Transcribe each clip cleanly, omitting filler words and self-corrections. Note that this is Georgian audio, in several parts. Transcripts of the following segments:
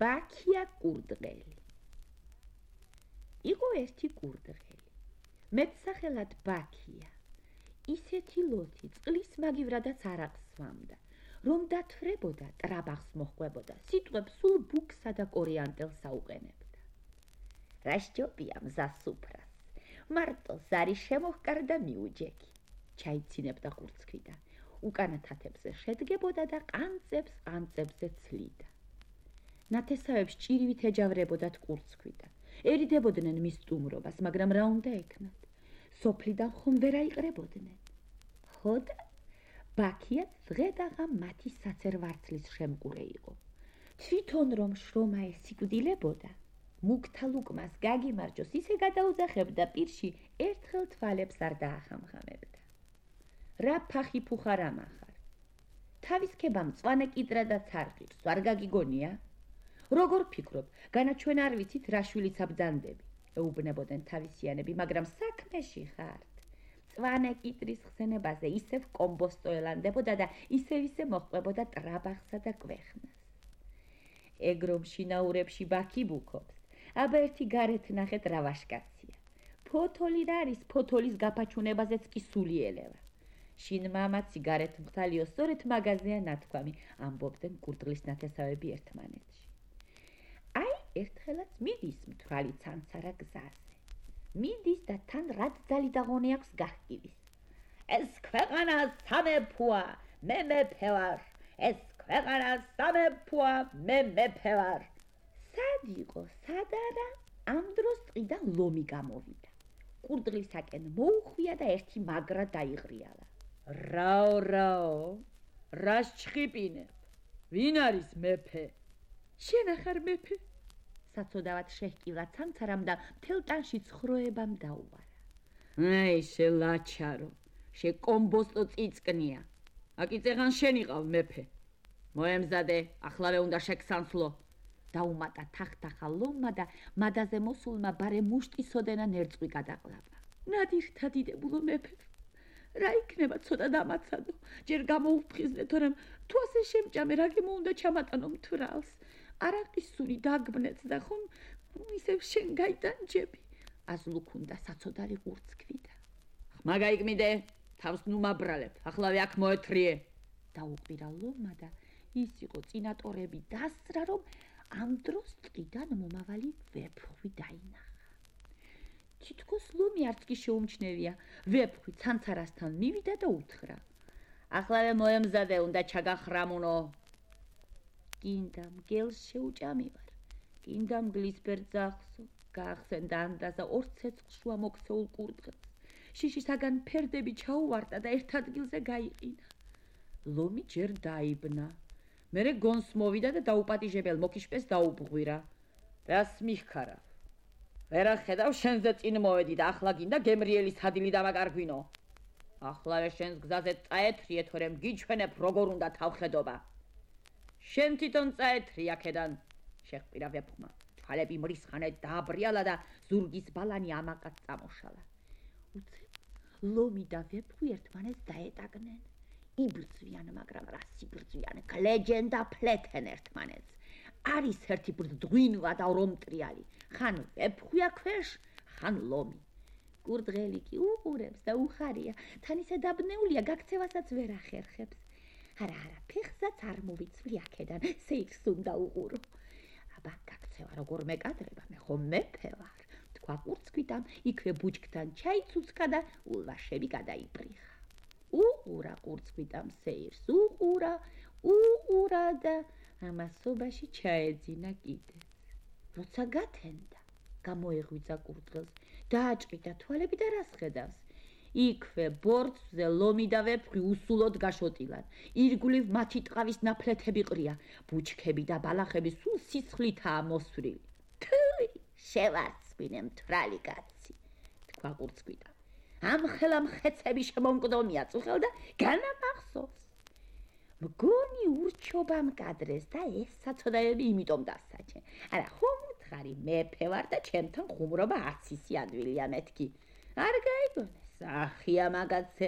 ბაქია კურდღელი. იყო ერთი კურდღელი. მეტსახელად ბაქია. ისეთი ლოთი წყლის მაგივრადაც არ აღსვამდა, რომ დათვრებოდა, ტრაბახს მოჰყვებოდა, სიტყვებს სულ ბუქსა და კორიანტელს აუყენებდა. რა სჯობია მზას უფრას, მარტო ზარი შემოჰკარდა მიუჯექი. ჩაიცინებდა ყურცქვიდან, უკანა თათებზე შედგებოდა და ყანწებზე ცლიდა. ნათესავებს ჭირივით ეჯავრებოდათ ყურცქვიდან, ერიდებოდნენ მის სტუმრობას, მაგრამ რა უნდა ექნათ? სოფლიდან ხომ ვერ აიყრებოდნენ. ხოდა ბაქიაც დღედაღა მათი საცერვარცლის შემკურე იყო. თვითონ რომ შრომა ესიკვდილებოდა, მუქთა ლუკმას გაგიმარჯოს ისე გადაუძახებდა პირში, ერთხელ თვალებს არ დაახამხამებდა. რა ფახი ფუხარ ამახარ? თავის ქება მწვანე კიტრა და ცარყირს, არ გაგიგონია? როგორ ფიქრობ, განა ჩვენ არ ვიცით რა შვილიც აბძანდები? ეუბნებოდნენ თავისიანები, მაგრამ საქმეში ხართ. მწვანე კიტრის ხსენებაზე ისევ კომბოსტო ელანდებოდა და ისევ მოჰყვებოდა ტრაბახსა და კვეხნას. ეგრომ შინაურებში ბაქი ბუქობს, აბა ერთი გარეთ ნახეთ რა ვაშკაცია. ფოთოლი რა არის, ფოთოლის გაფაჩუნებაზეც კი სული ელევა. შინ მამაცი გარეთ მხთალიო სწორედ მაგაზეა ნათქვამი, ამბობდნენ კურდღლის ნათესავები ერთმანეთში. აი, ერთხელაც მიდის მთვრალი ცანცარა გზაზე. მიდის და თან რაც ძალი დაღონე აქვს გახკივის. ეს ქვეყანა სამეფოა, მე მეფე ვარ. ეს ქვეყანა სამეფოა, მე მეფე ვარ. სად იყო, სად არა? ამ დროს ტყიდან ლომი გამოვიდა. კურდღლისაკენ მოუხვია და ერთი მაგრა დაიღრიალა. რაო, რას ჩხიპინებ? ვინ არის მეფე? შენ ახარ მეფე? საცოდავად შეჰკილა ცანცარამ და მთელ ტანში ცხროებამ დაუვარა. აი, შელაჩარო, შეკომბოსტო წიწკნია. აკიწეღან შენ იყავ მეფე. მოემზადე, ახლავე უნდა შეგსანცლო. დაუმატა თახთახა ლომმა და მადაზე მოსულმა ბარე მუშტისოდენა ნერწყვი გადაყლაპა. ნადირთა დიდებულო მეფე, რა იქნება ცოტა დამაცადო, ჯერ გამოუფხიზნე, თორემ თუ ასე შემჭამე, რა გემო უნდა ჩამატანო მთვრალს. არაყის სული დაგბნეთ და ხომ ისევ შენ გაიდანჯები. აზლუქუნდა საცოდარი ყურცქვიდა. ხმა გაიგმიდე, თავს ნუ მაბრალებ, ახლავე აქ მოეთრიე. დაუყვირა ლომმა და ის იყო წინატორები დასრა, რომ ამ დროს ტყიდან მომავალი ვეფხვი დაინახა. თითქოს ლომი არც კი შეუმჩნევია, ვეფხვი ცანცარასთან მივიდა და უთხრა. ახლავე მოემზადე, უნდა ჩაგახრამუნო. გინდა მგელს შეუჭამივარ, გინდა მგლის ბერძახსო, გაახსენდა ანდაზა ორ ცეცხლშუა მოქცეულ კურდღელს. შიშისაგან ფერდები ჩაუვარდა და ერთ ადგილზე გაიყინა. ლომი ჯერ დაიბნა, მერე გონს მოვიდა და დაუპატიჟებელ მოკიშპეს დაუბღვირა. რას მიხქარა? ვერა ხედავ, შენზე წინ მოვედი და ახლა გინდა გემრიელის ჰადილი დამაკარგვინო. ახლა შენს გზაზე წაეთრიე, თორემ გიჩვენებ როგორ უნდა თავხედობა. შენ თვითონ წაეთრი აქედან, შეჰყირა ვეფხვმა. თვალები მრისხანეთ დააბრიალა და ზურგის ბალანი ამაყად წამოშალა. უცებ ლომი და ვეფხვი ერთმანეთს დაეტაგნენ. იბრძვიან, მაგრამ რა სიბრძვიან, გლეჯენ და ფლეთენ ერთმანეთს. არის ერთი ბრძღვინვა და ორმტრიალი, ხან ვეფხვია ქვეშ, ხან ლომი. კურდღელი კი უყურებს და უხარია, თან ისე დაბნეულია, გაქცევასაც ვერ ახერხებს. არა, ფეხსაც არ მოვიცვლი აქედან, სეირს უნდა უყურო. აბა, გაქცევა როგორ მეკადრება, მე ხომ მეფე ვარ, თქვა ყურცქვიდან, იქვე ბუჩქთან ჩაიცუცქა და ულვაშები გადაიპრიხა. უყურა ყურცქვიდან სეირს, უყურა და ამასობაში ჩაეძინა კიდეც. როცა გათენდა, გამოეღვიძა კურდღელს, დააჭყიდა თვალები და რას ხედავს? იქვე ბორცვზე ლომი და ვეფხვი უსულოდ გაშოტილან. ირგვლივ მათი ტყავის ნაფლეთები ყრია, ბუჩქები და ბალახები სულ სისხლითაა მოსვრილი. თუი, შევარცხვინე მთვრალი კაცი, თქვა ყურცქვიდან. ამ ხელა მხეცები შემომკვდომია წუხელ და განამახსოვს. მგონი ურჩობა მკადრეს და ეს საცოდაები იმიტომ დასაჩე. არა, ხომ უთხარი, მეფე ვარ და ჩემთან ხუმრობა არც ისი ადვილია მეთქი. არ გაიგონეს, ახია მაგაცე,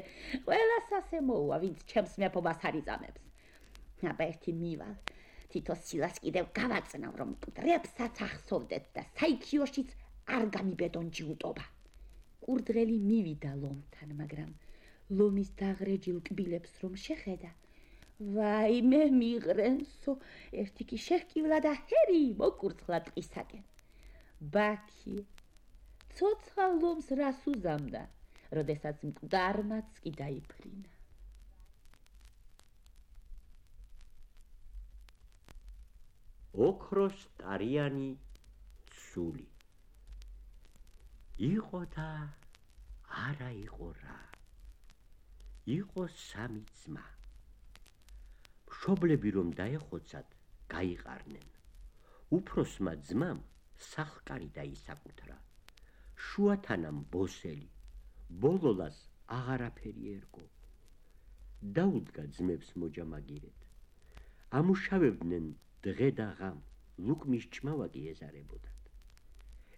ყველას ასე მოუვა, ვინც ჩემს მეფობას არ იწამებს. აბა ერთი მივალ, თითო სილას კიდევ გავაწნავ, რომ მკვდრებსაც ახსოვდეთ და საიქიოშიც არ გამიბედონ ჯიუტობა. კურდღელი მივიდა ლომთან, მაგრამ ლომის დაღრეჯილ კბილებს რომ შეხედა, ვაიმე მიღრენსო, ერთი კი შეჰკივლა და ჰერი მოკურცხლა ტყისაკენ. ბაქი ცოცხალ ლომს რას უზამდა, როდესაც მკვდარმაც კი დაიფრინა. ოქროს ტარიანი ცული იყო და არა იყო რა. იყო სამი ძმა. მშობლები რომ დაეხოცათ, გაიყარნენ. უფროსმა ძმამ სახლკარი დაისაკუთრა. შუათანამ ბოსელი, ბოლოლას აღარაფერი ერგო. დაუდგა ძმებს მოჯამაგირეთ. ამუშავებდნენ დღე და ღამ, ლუკმის ჭმავა კი ეზარებოდათ.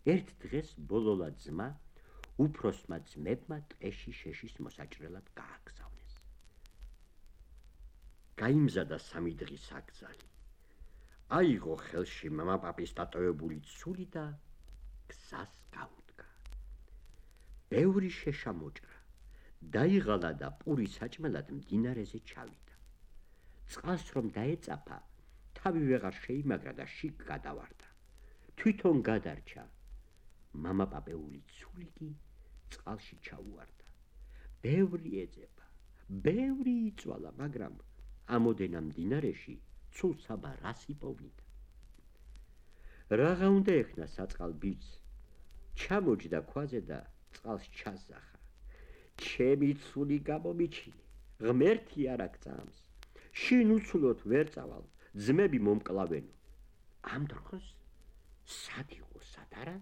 ერთ დღეს ბოლოლა ძმა უფროსმა ძმებმა ტყეში შეშის მოსაჭრელად გააგზავნეს. გაიმზადა სამი დღის აკრძალი. აიღო ხელში მამაპაპის დატოვებული ცული და გზას გაუდგა. ბევრი შეშა მოჭრა, დაიღალა და პური საჭმელად მდინარეზე ჩავიდა. წყალს რომ დაეწაფა, თავი ვეღარ შეიმაგრა და შიგ გადავარდა. თვითონ გადარჩა. მამაპაპეული ცული კი წყალში ჩაუვარდა. ბევრი ეძება, ბევრი იწვალა, მაგრამ ამოდენა მდინარეში ცულსაბა რას იპოვნიდა. რაღა უნდა ეხნა საწყალ ბიჭს. ჩამოჯდა ქვაზე და წყალს ჩაზახა. ჩემი ცული გამომიჩინე, ღმერთი არ აგწამს. შინ უცვლოდ ვერ წავალ, ძმები მომკლავენო. ამ დროს სად იყო სად არა,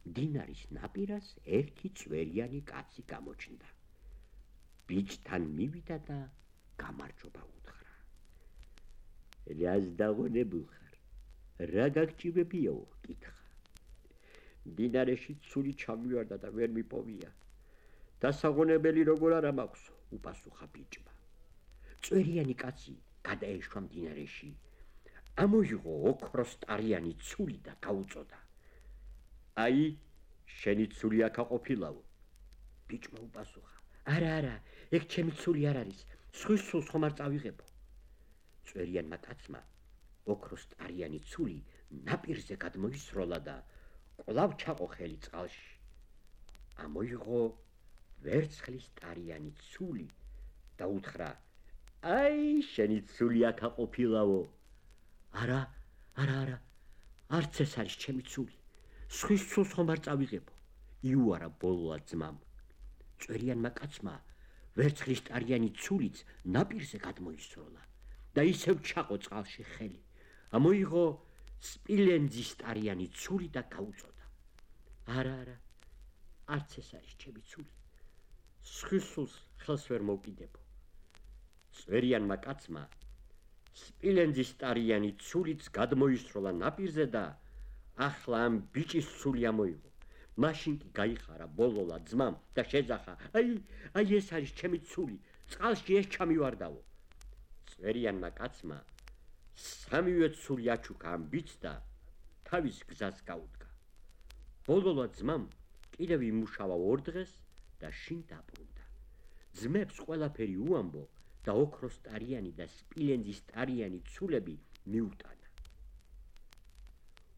მდინარის ნაპირას ერთი წვერიანი კაცი გამოჩნდა. ბიჭთან მივიდა და გამარჯობა უთხრა. რას დაღონებულ ხარ? რა გაგჭირებიაო? კითხა. მდინარეში ცული ჩამივარდა და ვერ მიპოვია. დასაღონებელი როგორ არა მაქვს? უპასუხა ბიჭმა. წვერიანი კაცი გადაეშვა მდინარეში. ამოიღო ოქროს ტარიანი ცული და გაუწოდა. აი, შენი ცული აქა ყოფილაო. ბიჭმა უპასუხა. არა, ეგ ჩემი ცული არ არის, სხვის ცულს ხომ არ წავიღებო. წვერიანმა კაცმა ოქროს ტარიანი ცული ნაპირზე გადმოისროლა და კვლავ ჩაყო ხელი წყალში. ამოიღო ვერცხლის ტარიანი ცული და უთხრა. აი, შენი ცული აქა ყოფილაო. არა, არც ეს არის ჩემი ცული. სხვის ცულს ხომ არ წავიღებო. იუარა ბოლოა ძმამ. წვერიანმა კაცმა ვერცხლის ტარიანი ცულიც ნაპირზე გადმოისროლა და ისევ ჩაყო წყალში ხელი. ამოიღო სპილენძის ტარიანი ცული და გაუწოდა. არა, არც ეს არის ჩემი ცული. სხვის ცულს ხელს ვერ მოვკიდებო. წვერიანმა კაცმა სპილენძის ტარიანი ცულიც გადმოისროლა ნაპირზე და ახლა ამ ბიჭის ცული ამოიღო. მაშინ კი გაიხარა ბოლოლა ძმამ და შეძახა. აი ეს არის ჩემი ცული, წყალში ეს ჩამივარდაო. წვერიანმა კაცმა სამივე ცული აჩუქა ამ ბიჭს და თავის გზას გაუდგა. ბოლოლა ძმამ კიდევ იმუშავა ორ დღეს და შინ დაბრუნდა. ძმებს ყველაფერი უამბო და ოქროს ტარიანი და სპილენძის ტარიანი ცულები მიუტანა.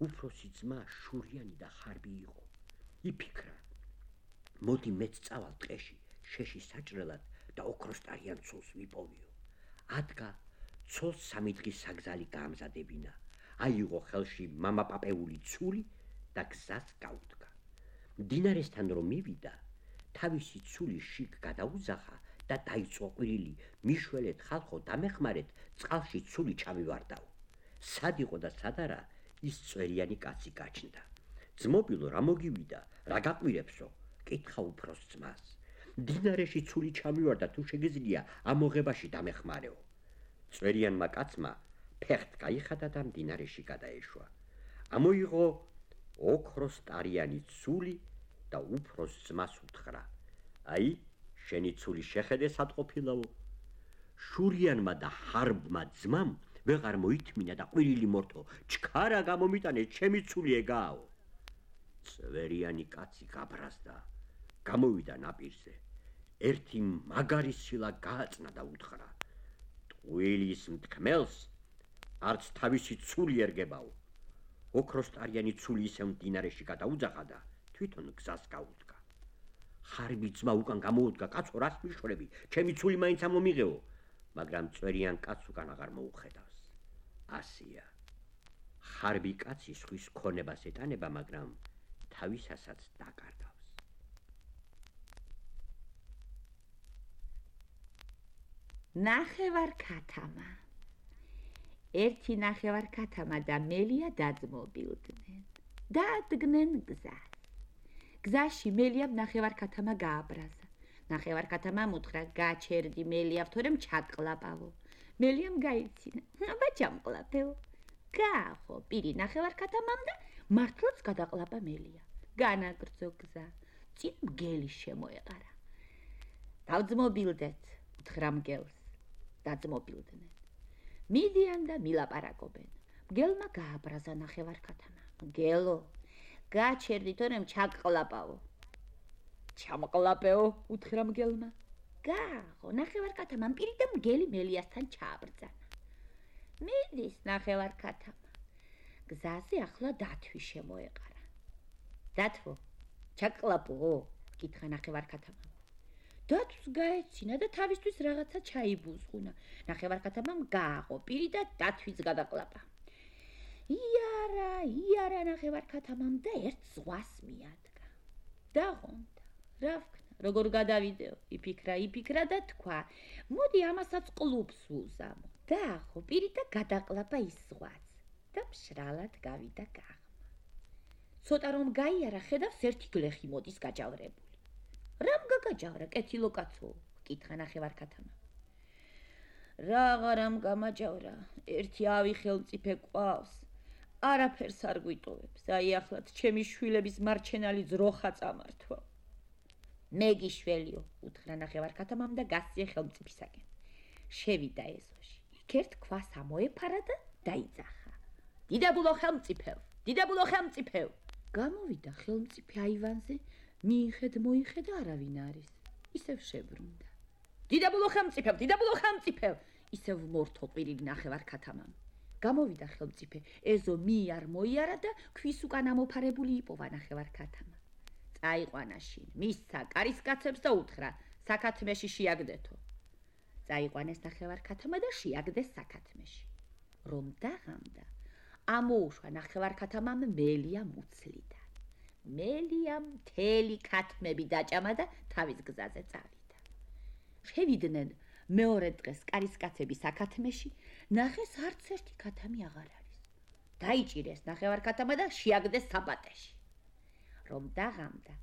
უფროსი ძმა შურიანი და ხარბი იყო. იფიქრა, მოდი მეც წავალ ტყეში, შეში საჭრელად და ოქროს ტარიან ცულს ვიპოვიო. ადგა ცოლს სამი დღის საგზალი გაამზადებინა. აიღო ხელში მამაპაპეული ცული და გზას გაუდგა. მდინარესთან რომ მივიდა, თავისი ცული შიგ გადაუზახა და დაიწყო ყვირილი. მიშველეთ ხალხო, დამეხმარეთ, წყალში ცული ჩამივარდაო. სად იყო და სად არა, ის წვერიანი კაცი გაჩნდა. ძმობილო, რა მოგივიდა, რა გაყვირებსო? კითხა უფროს ძმას. მდინარეში ცული ჩამივარდა, თუ შეგიძლია ამოღებაში დამეხმარეო. წვერიანმა კაცმა ფეხთ გაიხადა და მდინარეში გადაეშვა. ამოიღო ოქროს ტარიანი ცული და უფროს ძმას უთხრა. აი, შენი ცული შეხედე სად ყოფილაო. შურიანმა და ხარბმა ძმამ ვეღარ მოითმინა და ყვირილი მორთო, ჩქარა გამომიტანე, ჩემი ცული ეგააო. წვერიანი კაცი გაბრაზდა, გამოვიდა ნაპირზე. ერთი მაგარი სილა გააწნა და უთხრა: ტყუილის მთქმელს არც თავისი ცული ერგებაო. ოქროსტარიანი ცული ისევ მდინარეში გადაუძახა და თვითონ გზას გაუდგა. ხარბი ძმა უკან გამოუდგა: კაცო, რას მიშვრები? ჩემი ცული მაინც ამომიღეო. მაგრამ წვერიან კაცს უკან აღარ მოუხედავს. ასია. ხარბი კაცი სხვის ქონებას ეტანება, მაგრამ თავისასაც დაკარგავს. ნახევარქათამა. ერთი ნახევარქათამა და მელია დაძმობილდნენ. დაადგნენ გზას. გზაში მელიამ ნახევარქათამა გააბრაზა. ნახევარქათამამ უთხრა: გაჩერდი მელიავ, თორემ ჩაკლაპავო. მელიამ გაიცინა: აბა ჩამკლაპეო. გაახო პირი ნახევარქათამამ და მართლაც გადაყლაპა მელია. განაგრძო გზა. წინ მგელი შემოეყარა. დავძმობილდეთ, უთხრა მგელს. დაძმობილდნენ. მიდიან და მილაპარაკობენ. მგელმა გააბრაზა ნახევარქათამა. მგელო, გაჩერდი, თორემ ჩაკლაპავო. ჩამკლაპეო, უთხრა მგელმა. გაახო, ნახევარქათამამ პირი და მგელი მელიასთან ჩააბრძანა. მიდის ნახევარქათამა. გზაზე ახლა დათვი შემოეყარა. დათვო, ჩაკლაპო, კითხა ნახევარქათამამ. დათვს გაეცინა და თავისთვის რაღაცა ჩაიბუზღუნა. ნახევარქათამამ გააღო პირი და დათვიც გადაყლაპა. იარა ნახევარქათამამ და ერთ ზღვას მიადგა. დაღონდა, რა ვქნა, როგორ გადავიდეო, იფიქრა და თქვა: მოდი ამასაც კლუბს ვუზამო. დააღო პირი და გადაყლაპა ის ზღვაც და მშრალად გავიდა გაღმა. ცოტა რომ გაიარა, ხედავს ერთი გლეხი მოდის გაჯავრებული. რამ გაგაჯავრა, კეთილო კაცო? კითხა ნახევარქათამა. რაღარამ გამაჯავრა, ერთი ავი ხელმწიფე ყავს. არაფერს არ გვიტოვებს. აი ახლად ჩემი შვილების მარჩენალი ძროხა წამართვა. მე გიშველიო, უთხრა ნახევარქათამამ და გასწია ხელმწიფისაკენ. შევიდა ეზოში. იქ ერთ ქვას ამოეფარა და დაიძახა. დიდებულო ხელმწიფევ. გამოვიდა ხელმწიფე აივანზე, მიიხედ-მოიხედა, არავინ არის. ისევ შებრუნდა. დიდებულო ხელმწიფევ, ისევ მორთო ყვირილი ნახევარქათამამ. გამოვიდა ხელმწიფე, ეზო მიარ-მოიარა და ქვის უკან ამოფარებული იპოვა ნახევარქათამა. წაიყვანა შინ, მისცა კარისკაცებს და უთხრა: საქათმეში შეაგდეთო. წაიყვანეს ნახევარქათამა და შეაგდეს საქათმეში. რომ დაღამდა, ამოუშვა ნახევარქათამამ მელია მუცლიდან. მელიამ მთელი ქათმები დაჭამა და თავის გზაზე წავიდა. შევიდნენ მეორე დღეს კარისკაცები საქათმეში, ნახეს არც ერთი ქათამი აღარ არის. დაიჭირეს ნახევარქათამა და შეაგდეს საბატეში. რომ დაღამდა,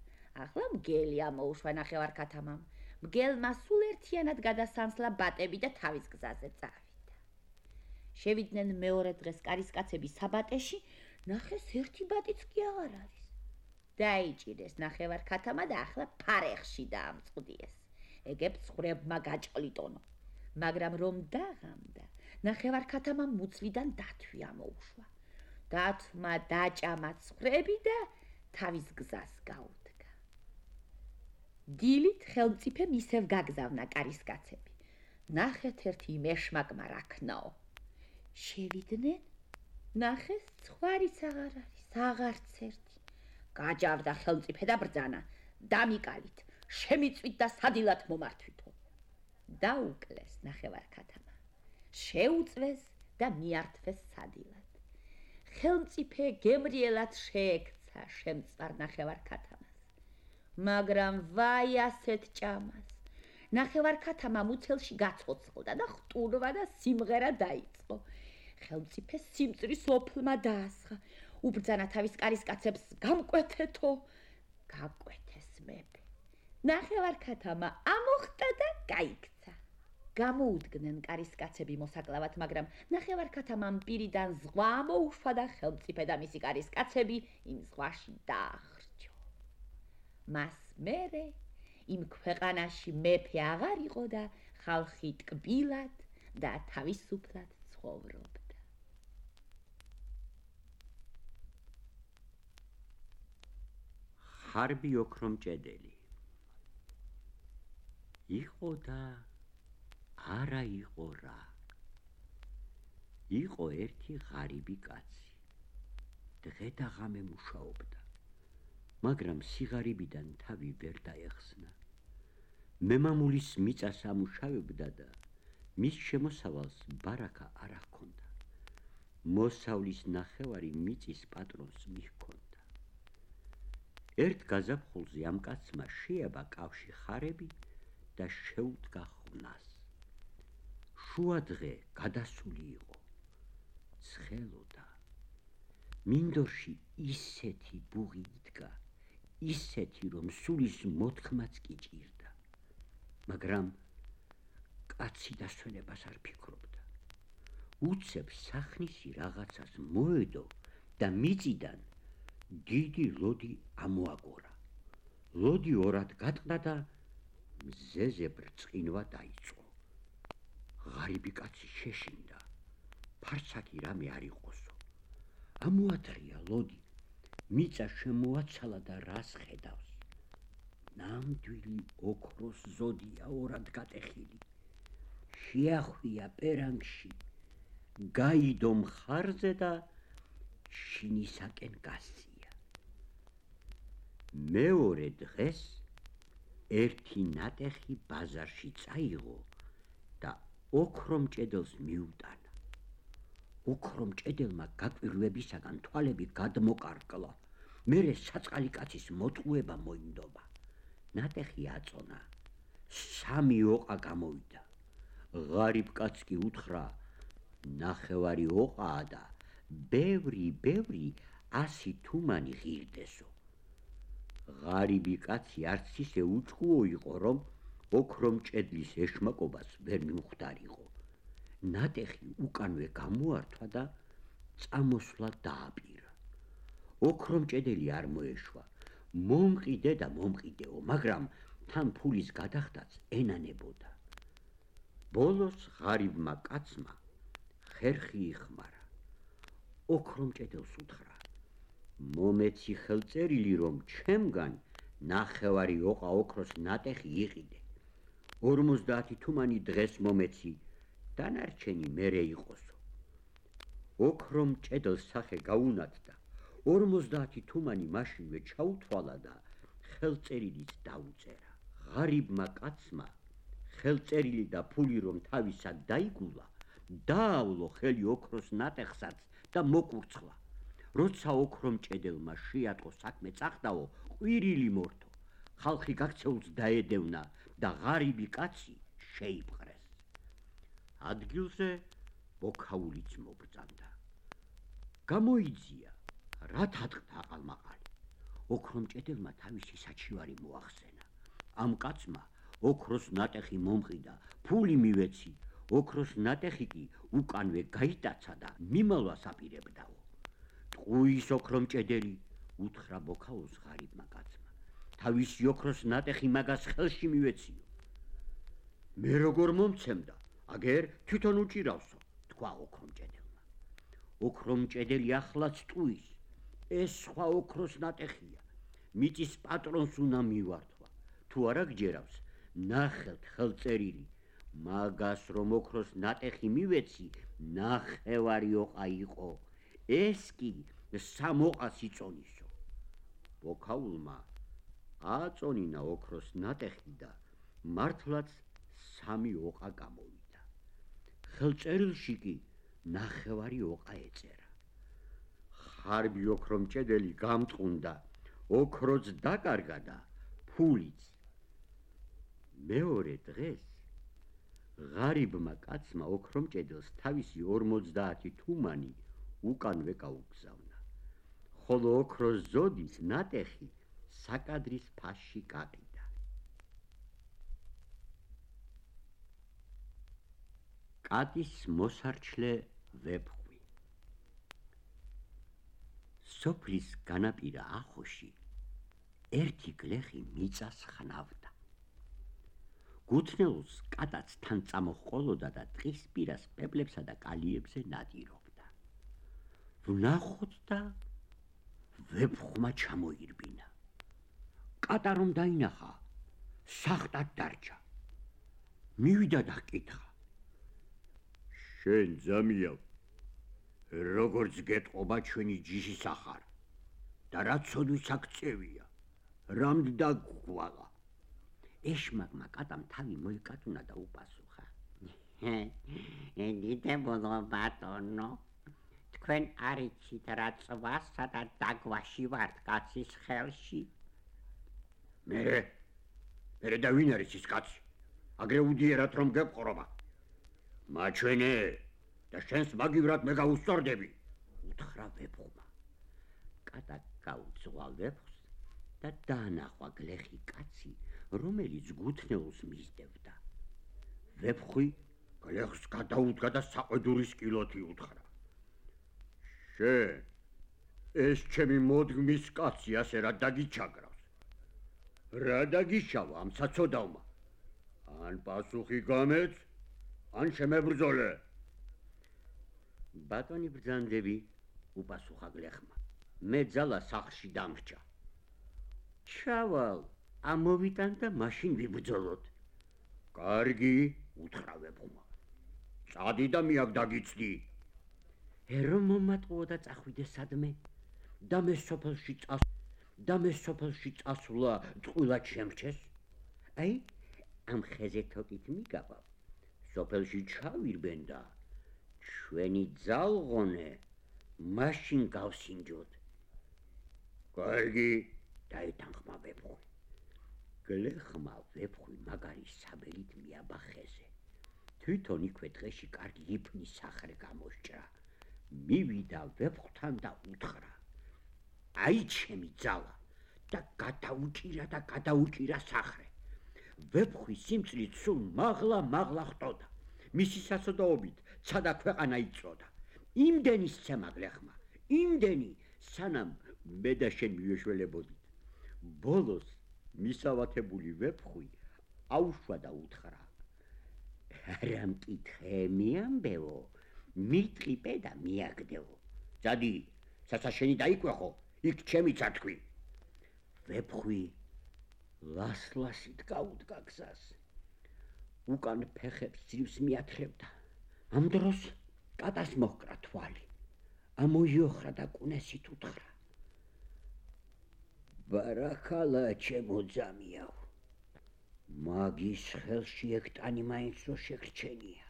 ახლა მგელი ამოუშვა ნახევარქათამამ. მგელმა სულ ერთიანად გადასანსლა ბატები და თავის გზაზე წავიდა. შევიდნენ მეორე დღეს კარისკაცები საბატეში, ნახეს ერთი ბატიც კი აღარ არის. დაიჭირეს ნახევარქათამა და ახლა ფარეხში დაამწყდიეს. ეგებ ცხრებმა გაჭყლიტონო. მაგრამ რომ დაღამდა, ნახევარქათამამ მუცლიდან დათვი ამოუშვა. დათვმა დაჭამა ცხრები და თავის გზას გაუდგა. დილით ხელმწიფემ ისევ გაგზავნა კარისკაცები. ნახეთ ერთი მეშმაკმა რაქნაო. შევიდნენ, ნახეს ცხვარიც აღარ არის, აღარც ერთი. გაჯავდა ხელმწიფე და ბრძანა: დამიკალით, შემიწვით და სადილად მომართვითო. დაუკლეს ნახევარქათამა. შეუწვეს და მიართვეს სადილად. ხელმწიფე გემრიელად შეექცა შემწვარ ნახევარქათამას. მაგრამ ვაი ასეთ ჭამას. ნახევარქათამა მუცელში გაცოცხლდა და ხტურვა და სიმღერა დაიწყო. ხელმწიფე სიმწრის ოფლმა დაასხა. უბრძანა თავის კარისკაცებს: გამკვეთეთო. გაკვეთეს მეფე. ნახევარქათამა ამოხტა და გაიქცა. გამოუდგნენ კარისკაცები მოსაკლავად, მაგრამ ნახევარქათამამ პირიდან ზღვა ამოუშვა და ხელმწიფე და მისი კარისკაცები იმ ზღვაში დაახრჩო. მას მერე იმ ქვეყანაში მეფე აღარ იყო და ხალხი ტკბილად და თავისუფლად ცხოვრობდა. ხარბი ოქრომჭედელი იყო და არა იყო რა. იყო ერთი ღარიბი კაცი. დღე და ღამე მუშაობდა, მაგრამ სიღარიბიდან თავი ვერ დაეხსნა. მემამულის მიწას ამუშავებდა და მის შემოსავალს ბარაკა არ ჰქონდა. მოსავლის ნახევარი მიწის პატრონს მიჰქონდა. ერთ გაზაფხულზე ამ კაცმა შეაბა კავში ხარები და შეუდგა ხვნას. შუა დღე გადასული იყო. ცხელოდა. მინდორში ისეთი ბუღი იდგა, ისეთი, რომ სულის მოთქმაც კი ჭირდა. მაგრამ კაცი დასვენებას არ ფიქრობდა. უცებ სახნისი რაღაცას მოედო და მიწიდან დიდი ლოდი ამოაგორა. ლოდი ორად გატყდა და მზეზე ბრწყინვა დაიწყო. ღარიბი კაცი შეშინდა. ფარსაკი რამე არ იყოსო. ამოადრია ლოდი, მიწა შემოაცალა და რას ხედავს. ნამდვილი ოქროს ზოდია ორად გატეხილი. შეახვია პერანგში, გაიდო მხარზე და შინისაკენ გასწია. მეორე დღეს ერთი ნატეხი ბაზარში წაიღო და ოქრომჭედელს მიუტანა. ოქრომჭედელმა გაკვირვებისაგან თვალები გადმოკარკლა. მერე საწყალი კაცის მოტყუება მოინდობა. ნატეხი აწონა. 3 ოყა გამოვიდა. ღარიბ კაცს კი უთხრა, ნახევარი ოყაა და ბევრი 100 თუმანი ღირდესო. ღარიბი კაცი არც ისე უწყუო იყო, რომ ოქრომჭედლის ეშმაკობას ვერ მიუხვდარიყო. ნატეხი უკანვე გამოართვა და წამოსვლა დააპირა. ოქრომჭედელი არ მოეშვა. მომყიდე და მომყიდეო, მაგრამ თან ფულის გადახდაც ენანებოდა. ბოლოს ღარიბმა კაცმა ხერხი იხმარა. ოქრომჭედელს უთხრა, მომეცი ხელწერილი, რომ ჩემგან ნახევარი ოყა ოქროს ნატეხი იყიდე. 50 თუმანი დღეს მომეცი, დანარჩენი მერე იყოსო. ოქრომჭედელს სახე გაუნათდა. 50 თუმანი მაშინვე ჩაუთვალა და ხელწერილიც დაუწერა. ღარიბმა კაცმა ხელწერილი და ფული რომ თავისად დაიგულა, დაავლო ხელი ოქროს ნატეხსაც და მოკურცხლა. როცა ოქრომჭედელმა შეატყო საქმე წახდაო, ყვირილი მორთო. ხალხი გაქცეულს დაედევნა და ღარიბი კაცი შეიპყრეს. ადგილზე ბოქაულიც მობრძანდა. გამოიძია, რა თატყდა აყალმაყალი. ოქრომჭედელმა თავისი საჩივარი მოახსენა. ამ კაცმა ოქროს ნატეხი მომყიდა, ფული მივეცი. ოქროს ნატეხი კი უკანვე გაიტაცა და მიმალვას აპირებდაო. ტყუის ოქრომჭედელი, უთხრა ბოქაულს ღარიბმა კაცმა. თავისი ოქროს ნატეხი მაგას ხელში მივეციო. მე როგორ მომცემდა, აგერ თვითონ უჭირავსო, თქვა ოქრომჭედელმა. ოქრომჭედელი ახლაც ტყუის, ეს სხვა ოქროს ნატეხია. მიწის პატრონს უნდა მივართვა. თუ არა გჯერავს, ნახეთ ხელწერილი. მაგას რომ ოქროს ნატეხი მივეცი, ნახევარი ოყა იყო. ეს კი 3 ოყას იწონისო. ბოქაულმა აწონინა ოქროს ნატეხი და მართლაც 3 ოყა გამოვიდა. ხელწერილში კი ნახევარი ოყა ეწერა. ხარბი ოქრომჭედელი გამწყუნდა, ოქროც დაკარგა და ფულიც. მეორე დღეს ღარიბმა კაცმა ოქრომჭედელს თავისი 50 თუმანი უკანვე გაუგზავნა. ხოლო ოქროს ზოდის ნატეხი საკადრის ფასში გაყიდა. კატის მოსარჩლე ვეფხვი. სოფლის განაპირა ახოში ერთი გლეხი მიწას ხნავდა. გუთნელს კატაც თან წამოჰყოლოდა და ტყის პირას პეპლებსა და კალიებზე ნადირობდა. ვნახოთ და ვეფხმა ჩამოირბინა. კატა რომ დაინახა, სახტად დარჩა. მივიდა და ჰკითხა: შენ ძამიავ, როგორც გეტყობა ჩვენი ჯიშის ახარ და რა ცოდვის აქ წევია, რამდ დაგგვალა? ეშმაკმა კატამ თავი მოიკატუნა და უპასუხა: დიდებულო ბატონო, თქვენ არ იცით რა წვასა და დაგვაში ვართ კაცის ხელში. მერე და ვინ არის ის კაცი? აგრე უდიერად რომ გეპყრობა. მაჩვენე და შენს მაგივრად მე გავუსწორდები, უთხრა ვეფხმა. კატა გაუძღვა ვეფხს და დაანახვა გლეხი კაცი, რომელიც გუთნეულს მისდევდა. ვეფხვი გლეხს გადაუდგა და საყვედურის კილოთი უთხრა: შენ ეს ჩემი მოდგმის კაცი ასე რა დაგიჩაგრავს? რა დაგიშავა ამ საცოდავმა? ან პასუხი გამეც, ან შემებრძოლე. ბატონი ბრძანდები, უპასუხა გლეხმა, მე ძალა სახლში დამრჩა. ჩავალ, ამოვიტან და მაშინ ვიბრძოლოთ. კარგი, უთხრა ვეფხმა, წადი და მიაკ დაგიცდი. რომ მომატყუო და წახვიდე სადმე, და მე სოფელში წასვლა წყვილად შემრჩეს. აი, ამ ხეზე თოკით მიგავალ, სოფელში ჩავირბენ და ჩვენი ძალღონე მაშინ გავსინჯოთ. კარგი, დაეთანხმა ვეფხვი. გლეხმა ვეფხვი მაგარი საბელით მიაბა ხეზე. თვითონ იქვე დღეში კარგი იფნის სახრე გამოსჭრა. მივიდა ვეფხვთან და უთხრა: აი ჩემი ძალა, და გადაუჭირა სახრე. ვეფხვი სიმწრით სულ მაღლა ხტოდა. მისი სასოდაობით ცადა ქვეყანა იწოდა. იმდენი სცემა გლეხმა, იმდენი, სანამ მე და შენ მივეშველებოდით. ბოლოს მისავათებული ვეფხვი აუშვა და უთხრა: რა მკითხე მიამბეო, მიტყიპე და მიაგდეო. ძადი, სასაშენი დაიკვეხო, იქ ჩემი ცათქვი. ვეფხვი ლასლასით გაუდგა გზას. უკან ფეხებს ძირს მიათხრებდა. ამ დროს კატას მოჰკრა თვალი. ამოიოხრა და კუნესით უთხრა: ბარაქალა ჩემო ძამიაო, მაგის ხელში ექტანი მაინც რო შეგრჩენია.